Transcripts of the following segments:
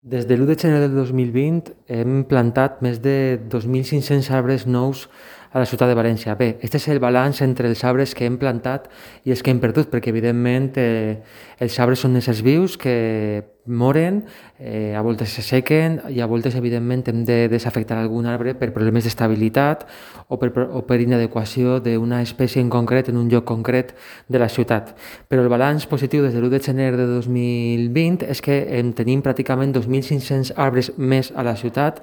Des de l'1 de gener del 2020 hem plantat més de 2.500 arbres nous a la ciutat de València. Bé, este és el balanç entre els arbres que hem plantat i els que hem perdut, perquè evidentment els arbres són éssers vius que moren, a voltes s'assequen i a voltes evidentment hem de desafectar algun arbre per problemes d'estabilitat o per inadequació d'una espècie en concret en un lloc concret de la ciutat. Però el balanç positiu des de l'1 de gener de 2020 és que en tenim pràcticament 2.500 arbres més a la ciutat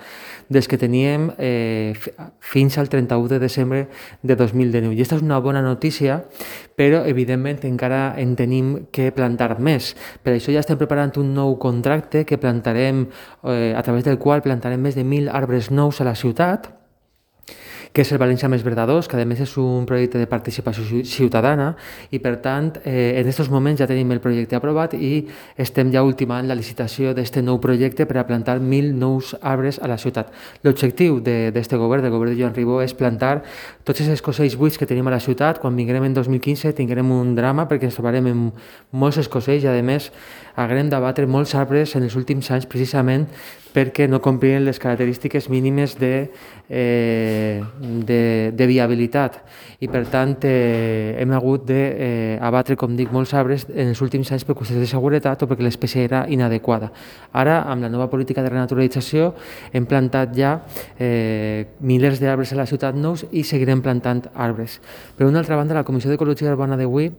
dels que teníem fins al 31 de desembre de 2019. I aquesta és una bona notícia, però evidentment encara en tenim que plantar més. Per això ja estem preparant un nou contracte que plantarem, a través del qual plantarem més de 1.000 arbres nous a la ciutat, que és el València Més Verdadós, que a més és un projecte de participació ciutadana i per tant en aquests moments ja tenim el projecte aprovat i estem ja ultimant la licitació d'aquest nou projecte per a plantar 1.000 nous arbres a la ciutat. L'objectiu d'aquest govern, del govern de Joan Ribó, és plantar tots els escocells buits que tenim a la ciutat. Quan vinguem en 2015 tindrem un drama perquè ens trobarem amb molts escocells i a més haurem d'abatre molts arbres en els últims anys precisament perquè no complien les característiques mínimes de viabilitat i per tant hem hagut d'abatre, com dic, molts arbres en els últims anys per qüestions de seguretat o perquè l'espècie era inadequada. Ara, amb la nova política de renaturalització, hem plantat ja milers d'arbres a la ciutat nous i seguirem plantant arbres. Per una altra banda, la Comissió d'Ecologia Urbana d'avui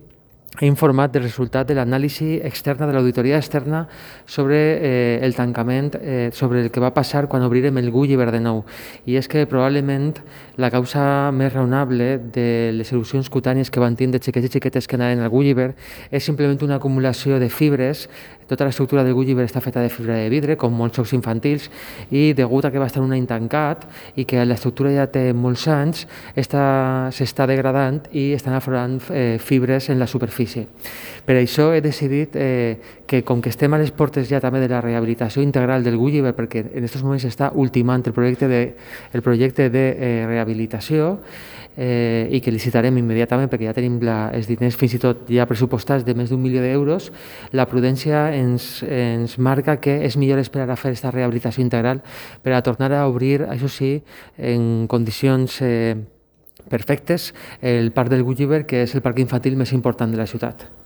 ha informat del resultat de l'anàlisi externa, de l'auditoria externa sobre el tancament, sobre el que va passar quan obrirem el Gulliver de nou. I és que probablement la causa més raonable de les erupcions cutànies que van tindre xiquets i xiquetes que anaven al Gulliver és simplement una acumulació de fibres. Tota l'estructura del Gulliver està feta de fibra de vidre, com molts jocs infantils, i degut a que va estar un any tancat i que l'estructura ja té molts anys, s'està degradant i estan aflorant fibres en la superfície. Per això he decidit que, com que estem a les portes ja també de la rehabilitació integral del Gulliver, perquè en aquests moments està ultimant el projecte de rehabilitació i que licitarem immediatament perquè ja tenim els diners fins i tot ja pressupostats de més d'1 milió d'euros, la prudència ens marca que és millor esperar a fer aquesta rehabilitació integral per a tornar a obrir, això sí, en condicions perfectes, el parc del Gulliver, que és el parc infantil més important de la ciutat.